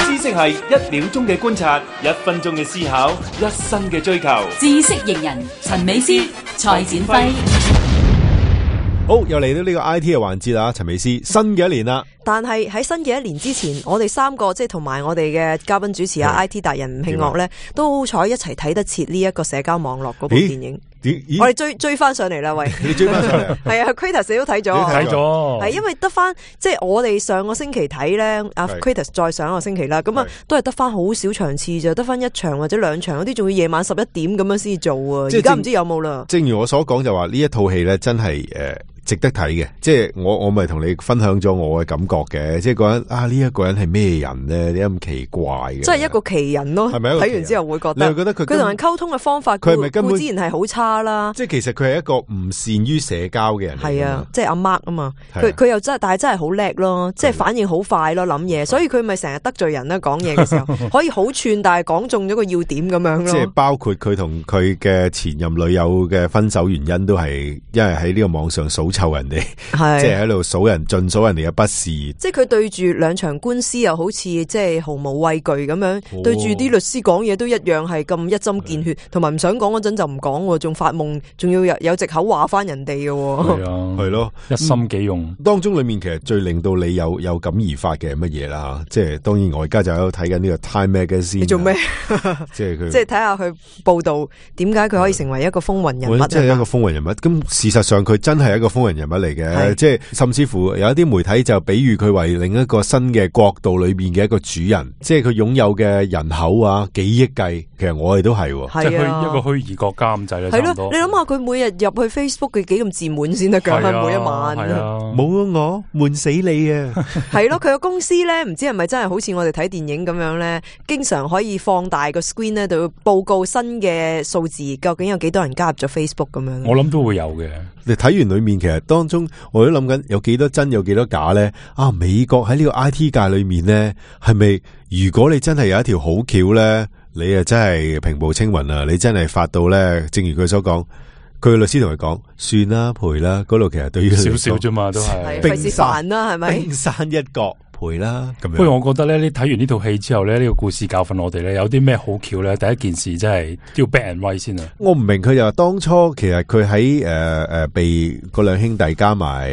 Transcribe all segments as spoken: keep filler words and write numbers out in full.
知識係一秒鐘嘅觀察，一分鐘嘅思考，一生嘅追求。知識型人陳美詩、蔡展輝。好，又嚟到呢個 I T 嘅環節啦，陳美詩，新嘅一年啦。但係喺新嘅一年之前，我哋三個即係同埋我哋嘅嘉賓主持啊 I T 達人吳慶岳咧，都好彩一齊睇得切呢一個社交網絡嗰部電影。我哋追追翻上嚟啦，喂！你追翻上嚟？係啊 ，Kratos 都睇咗，睇咗。係因為得翻，即係我哋上個星期睇咧，阿 Kratos 再上一個星期啦，咁啊都係得翻好少場次咋，得翻一場或者兩場，嗰啲仲要夜晚十一點咁樣先做啊！而家唔知有冇啦。正如我所講就話呢一套戲咧，真係誒。值得睇嘅，即係我我咪同你分享咗我嘅感覺嘅，即係嗰人啊呢一、這個人係咩人咧？點解咁奇怪嘅？即係一個奇人咯，係咪？睇完之後會覺得，你覺得佢佢同人溝通嘅方法，佢係咪根本自然係好差啦？即係其實佢係一個唔善於社交嘅人。係啊，即係阿 Mark 啊嘛，佢佢又真係，但係真係好叻咯，即係反應好快咯，諗嘢，所以佢咪成日得罪人啦，講嘢嘅時候可以好串，但係講中咗個要點咁樣咯。即係包括佢同佢嘅前任女友嘅分手原因，都係因為喺呢個網上數臭人哋。即係喺度數人盡數人哋嘅不是，即係佢對住兩場官司又好似即係毫無畏懼咁樣，哦、對住啲律師講嘢都一樣係咁一針見血，同埋唔想講嗰陣就唔講，仲發夢，仲要有有藉口話翻人哋嘅。係啊，係咯，一心幾用、嗯。當中裏面其實最令到你有有感而發嘅係乜嘢啦？即係當然我而家就喺度睇緊呢個 Time Magazine。你做咩？即係佢，即係睇下佢報道點解佢可以成為一個風雲人物。即係一個風雲人物。咁事實上佢真係一個風雲人物嚟嘅。即係甚至乎有一啲媒體就比喻佢為另一個新嘅國度裏邊嘅一個主人，即係佢擁有嘅人口啊幾億計，其實我哋都係，即係虛一個虛擬國家咁滯啦。係咯，你諗下佢每日入去 Facebook 佢幾咁自滿先得噶，每一晚。冇我悶死你啊！係咯，佢個公司咧，唔知係咪真係好似我哋睇電影咁樣咧，經常可以放大個 screen 咧，就報告新嘅數字，究竟有幾多人加入咗 Facebook 咁樣。我諗都會有嘅。你睇完裏面，其實當中我都諗緊有幾多真，有幾多假咧？啊，美國喺呢個 I T 界裏面咧，係咪如果你真係有一條好橋咧，你啊真係平步青雲啊！你真係發到咧，正如佢所講，佢嘅律師同佢講，算啦，賠啦，嗰度其實對於少少啫嘛，都係冰山啦，係咪？冰山一角。賠啦咁樣。不過我覺得咧，你睇完呢套戲之後咧，呢、這個故事教訓我哋咧，有啲咩好橋咧？第一件事真係要 back and right 先啊！我唔明佢就話當初其實佢喺誒誒被嗰兩兄弟加埋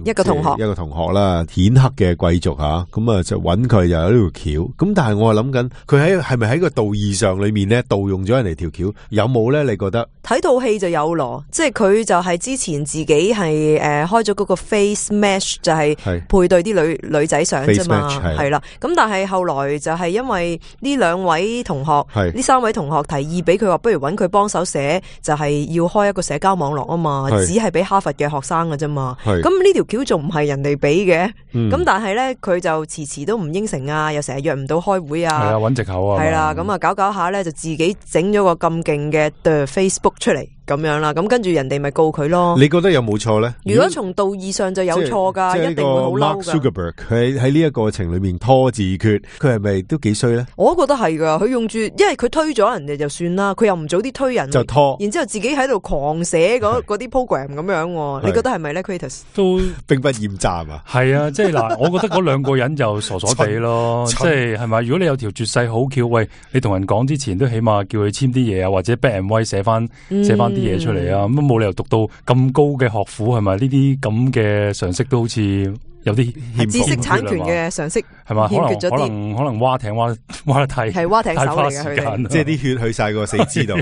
一個同學一個同學啦，顯赫嘅貴族吓，咁啊就揾佢就有呢條橋。咁但係我係諗緊，佢喺係咪喺個道義上裏面咧盜用咗人哋條橋？有冇咧？你覺得？睇套戲就有咯，即係佢就係之前自己係誒、呃、開咗嗰個 face match 就係配對啲女女仔相啫嘛，係啦。咁但係後來就係因為呢兩位同學，呢三位同學提議俾佢話，不如揾佢幫手寫，就係、是、要開一個社交網絡啊嘛，只係俾哈佛嘅學生㗎啫嘛。咁呢條橋仲唔係人哋俾嘅，咁、嗯、但係咧佢就遲遲都唔應承啊，又成日約唔到開會啊，係啊，揾藉口啊，係啦，咁啊搞搞下咧就自己整咗個咁勁嘅 The Facebook 出嚟咁樣啦，咁跟住人哋咪告佢咯。你覺得有冇錯咧？如果從道義上就有錯噶，一定會好嬲噶。Mark Zuckerberg 佢喺呢一個過程裏面拖字訣，佢係咪都幾衰咧？我都覺得係噶，佢用住，因為佢推咗人哋就算啦，佢又唔早啲推人，就拖，然之後自己喺度狂寫嗰嗰啲 program 咁樣，你覺得係咪咧 Kratos 都兵不厭詐啊？係啊，即係嗱，我覺得嗰兩個人就傻傻地咯，即係係咪？如果你有條絕世好橋，喂，你同人講之前都起碼叫佢簽啲嘢啊，或者 back and right 寫翻寫翻啲嘢出嚟啊，咁冇理由讀到咁高嘅學府，係咪？呢啲咁嘅常識都好似有啲知識產權嘅常識係嘛？欠缺咗啲，可能可能蛙艇蛙蛙得太係蛙艇手嚟嘅，佢哋即係啲血去晒個死肢度。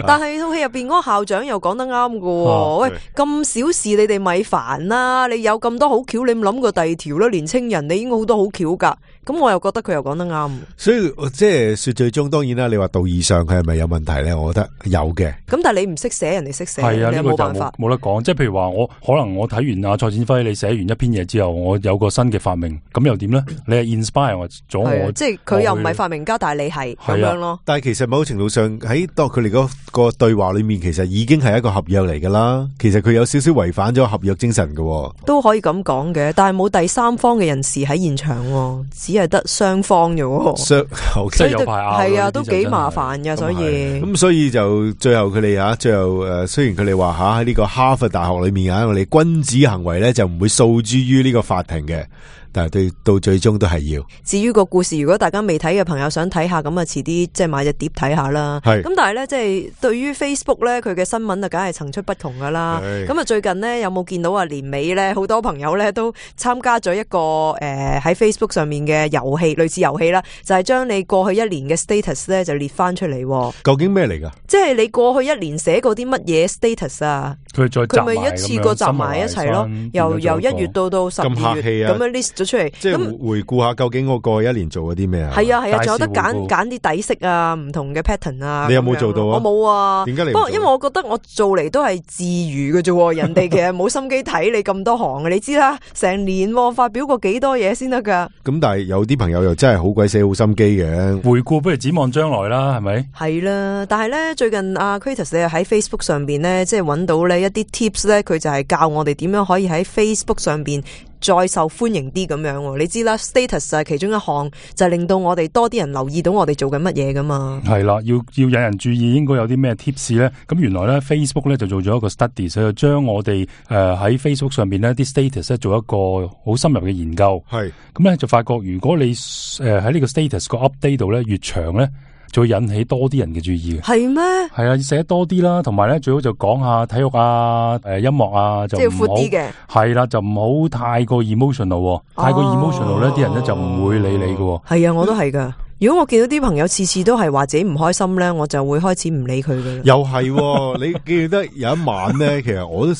但係套戲入邊嗰個校長又講得啱㗎，喂，咁小事你哋咪煩啦！你有咁多好橋，你唔諗過第二條啦？年青人你已經好多好橋噶，咁我又覺得佢又講得啱。所以即係說最終，當然啦，你話道義上佢係咪有問題咧？我覺得有嘅。咁但係你唔識寫，人哋識寫，係啊，你有冇辦法？冇得講。即係譬如話，我可能我睇完阿蔡展輝你寫完一篇嘢之後，我有個新嘅發明，咁又點咧？你係 inspire 咗我，即係佢又唔係發明家，但係你係咁樣咯。但係其實某程度上喺當佢哋嗰個對話裏面，其實已經係一個合約嚟噶啦。其實佢有少少違反咗合約精神嘅，都可以咁講嘅。但係冇第三方嘅人士喺現場，只係得雙方嘅。雙即係有排拗，係啊，都幾麻煩嘅。所以咁，所以就最後佢哋啊，最後誒，雖然佢哋話吓喺呢個哈佛大學裏面啊，我哋君子行為咧就唔會訴諸於呢個法庭嘅。但係對到最終都係要。至於個故事，如果大家未睇嘅朋友想睇下，咁啊遲啲即係買隻碟睇下啦。係咁，但係咧即係對於 Facebook 咧，佢嘅新聞啊，梗係層出不窮噶啦。咁啊最近呢，有冇見到啊年尾咧，好多朋友咧都參加咗一個誒喺、呃、Facebook 上面嘅遊戲，類似遊戲啦，就係、是、將你過去一年嘅 status 咧就列翻出嚟。究竟咩嚟噶？即係你過去一年寫過啲乜嘢 status 啊？佢再佢咪一次過集埋一齊咯，由由一月到到十二月咁樣 list 咗出嚟，即係回顧下究竟我過去一年做咗啲咩啊？係啊係啊，仲有得揀揀啲底色啊，唔同嘅 pattern 啊。你有冇做到啊？我冇啊。點解你？不過因為我覺得我做嚟都係自娛嘅啫，人哋其實冇心機睇你咁多行嘅，你知啦，成年發表過幾多嘢先得噶。咁但係有啲朋友又真係好鬼死好心機嘅。回顧不如展望將來啦，係咪？係啦，但係咧最近阿 Kratos 你喺 Facebook 上邊咧，即係揾到呢一啲 tips 咧，佢就係教我哋點樣可以喺 Facebook 上邊再受歡迎啲咁樣。你知啦 ，status 係其中一項，就係令到我哋多啲人留意到我哋做緊乜嘢噶嘛。係啦，要要引人注意，應該有啲咩 tips 咧？咁原來咧 Facebook 咧就做咗一個 study，所以就將我哋誒喺 Facebook 上邊呢啲 status 咧做一個好深入嘅研究。係咁咧就發覺，如果你誒喺呢個 status 個 update 度咧越長咧，就會引起多啲人嘅注意嘅。係咩？係啊，要寫多啲啦，同埋咧最好就講下體育啊、誒音樂啊，就即係闊啲嘅。係啦，就唔好太過 emotional，哦、太過 emotional 咧，啲人咧就唔會理你嘅。係啊，我都係噶。如果我見到啲朋友次次都係話自己唔開心咧，我就會開始唔理佢噶啦。又係，你記得有一晚咧，其實我都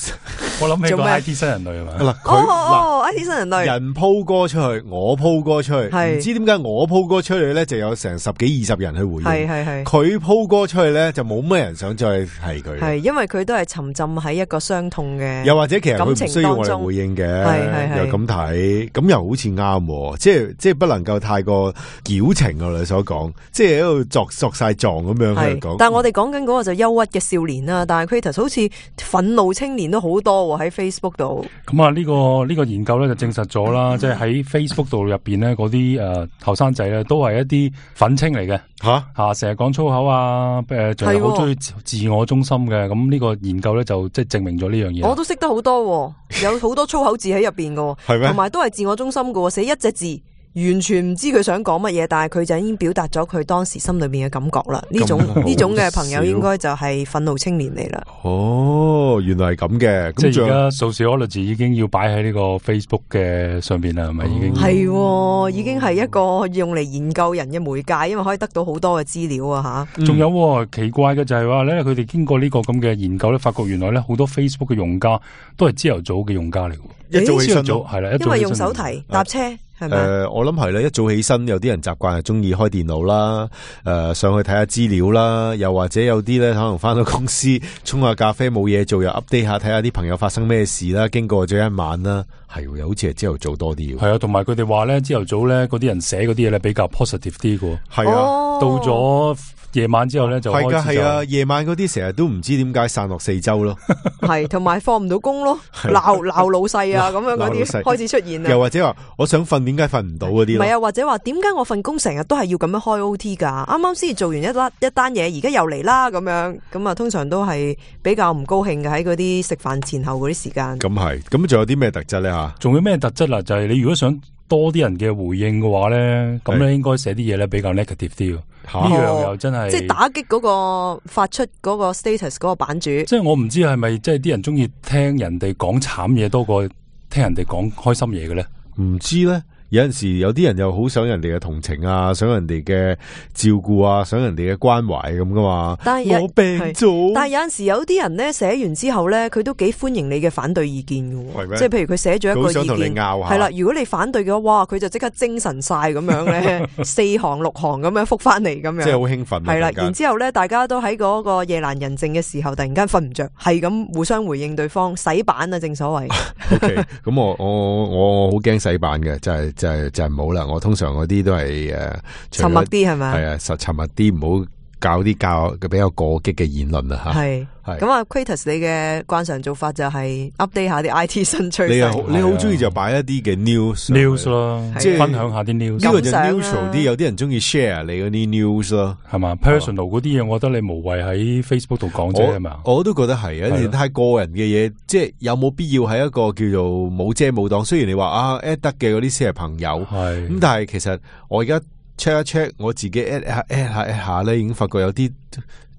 我諗起個 I T 新人類係嘛？嗱，哦哦 I T 新人類，人鋪歌出去，我鋪歌出去，唔知點解我鋪歌出去咧就有成十幾二十人去回應，係係係。佢鋪歌出去咧就冇乜人想再提佢，係因為佢都係沉浸喺一個傷痛嘅，又或者其實佢唔需要我哋回應嘅，又咁睇，咁又好似啱，即係即係不能夠太過矯情啊！你所講，即係喺度作作晒狀咁樣去講。但係我哋講緊嗰個就憂鬱嘅少年啦，但係 Kratos 好似憤怒青年都好多喺 Facebook 度。咁啊，呢個呢個研究咧就證實咗啦，即係喺 Facebook 度入邊咧嗰啲誒後生仔咧都係一啲憤青嚟嘅吓吓，成日講粗口啊，誒仲係好中意自我中心嘅。咁呢個研究咧就即係證明咗呢樣嘢。我都識得好多，有好多粗口字喺入邊嘅，係咩？同埋都係自我中心嘅，寫一隻字。完全唔知佢想講乜嘢，但係佢就已經表達咗佢當時心裏面嘅感覺啦。呢種呢種嘅朋友應該就係憤怒青年嚟啦。哦，原來係咁嘅。即係而家 sociology 已經要擺喺呢個 Facebook 嘅上邊啦，係咪已經？係、哦，已經係一個用嚟研究人嘅媒介，因為可以得到好多嘅資料啊吓。仲、嗯、有、哦、奇怪嘅就係話咧，佢哋經過呢個咁嘅研究咧，發覺原來咧好多 Facebook 嘅用家都係朝頭早嘅用家嚟嘅。一早起身早係啦，因為用手提搭車。誒、呃，我諗係咧，一早起身有啲人習慣係中意開電腦啦，誒、呃，上去睇下資料啦，又或者有啲咧可能翻到公司沖下咖啡冇嘢做，又 update 下睇下啲朋友發生咩事啦，經過咗一晚啦，係又好似係朝頭早多啲。係啊，同埋佢哋話咧，朝頭早咧嗰啲人寫嗰啲嘢咧比較 positive 啲嘅。係啊，哦、到咗夜晚之後咧就開始就係噶係啊，夜晚嗰啲成日都唔知點解散落四周咯，係同埋放唔到工咯，鬧鬧老細啊咁樣嗰啲開始出現啦。又或者話我想瞓，點解瞓唔到嗰啲？唔係啊，或者話點解我份工成日都係要咁樣開 O T 噶？啱啱先做完一單一單嘢，而家又嚟啦咁樣，咁啊通常都係比較唔高興嘅喺嗰啲食飯前後嗰啲時間。咁係，咁仲有啲咩特質咧吓？仲有咩特質啊？就係、是、你如果想多啲人嘅回應嘅話咧，咁咧應該寫啲嘢咧比較 negative 啲。呢樣又真係、哦、即係打擊嗰個發出嗰個 status 嗰個版主。即係我唔知係咪即係啲人中意聽人哋講慘嘢多過聽人哋講開心嘢嘅咧？唔知咧。有陣時有啲人又好想人哋嘅同情啊，想人哋嘅照顧啊，想人哋嘅關懷咁噶嘛。但係我病咗，但係有陣時有啲人咧寫完之後咧，佢都幾歡迎你嘅反對意見嘅。即係譬如佢寫咗一個意見，係啦，如果你反對嘅話，哇，佢就即刻精神晒咁樣咧，四行六行咁樣覆翻嚟咁樣，即係好興奮。係啦，然之後咧，大家都喺嗰個夜闌人靜嘅時候，突然間瞓唔着，係咁互相回應對方，洗版啊，正所謂。O K，咁我我我好驚洗版嘅，就係。就係就係唔好啦，我通常嗰啲都係誒沉默啲係咪？係啊，實沉默啲，唔好搞啲較比較過激嘅言論啊吓。係係咁啊 Quatus 你嘅慣常做法就係 update 下啲 I T 新趨勢。你好你好中意就擺一啲嘅 news news 咯，即係分享下啲 news。呢個就 neutral 啲，有啲人中意 share 你嗰啲 news 咯，係嘛 ？personal 嗰啲嘢，我覺得你無謂喺 Facebook 度講啫，係嘛？我都覺得係，有啲太個人嘅嘢，即係有冇必要喺一個叫做冇遮冇擋？雖然你話啊 at 得嘅嗰啲先係朋友，係咁，但係其實我而家 check 一 check 我自己 at 下 at 下 at 下咧，已經發覺有啲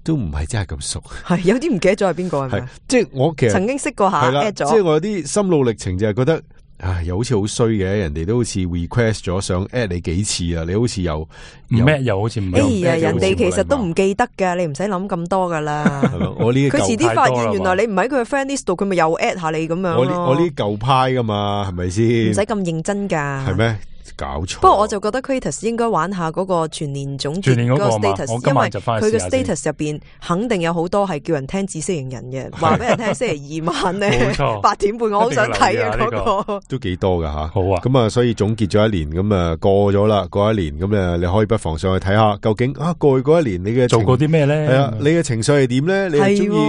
都唔係真係咁熟，係有啲唔記得咗係邊個係咪？即係我其實曾經識過下 at 咗，即係我有啲心路歷程就係覺得。唉，又好似好衰嘅，人哋都好似 request 咗想 at 你幾次啦，你好似又唔 at 又好似唔，哎呀，人哋其實都唔記得噶，你唔使諗咁多噶啦。我呢佢遲啲發現原來你唔喺佢嘅 friend list 度，佢咪又 at 下你咁樣。我呢我呢舊派噶嘛，係咪先？唔使咁認真噶。係咩？搞錯。不過我就覺得 Quatus 應該玩下嗰個全年總結嗰個 status，因為佢嘅 status 入邊肯定有好多係叫人聽知識型人嘅，話俾人聽星期二晚咧八點半，我好想睇啊嗰個。都幾多噶吓。好啊。咁啊，所以總結咗一年，咁啊過咗啦，過一年咁啊，你可以不妨上去睇下，究竟啊過去嗰一年你嘅做過啲咩咧？係啊，你嘅情緒係點咧？你係中意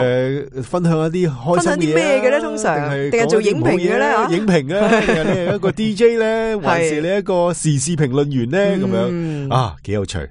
誒分享一啲開心啲咩嘅咧？通常定係做影評嘅咧？影評啊，定係你係一個 D J 咧？還是你一個時事評論員咧？咁樣啊，幾有趣。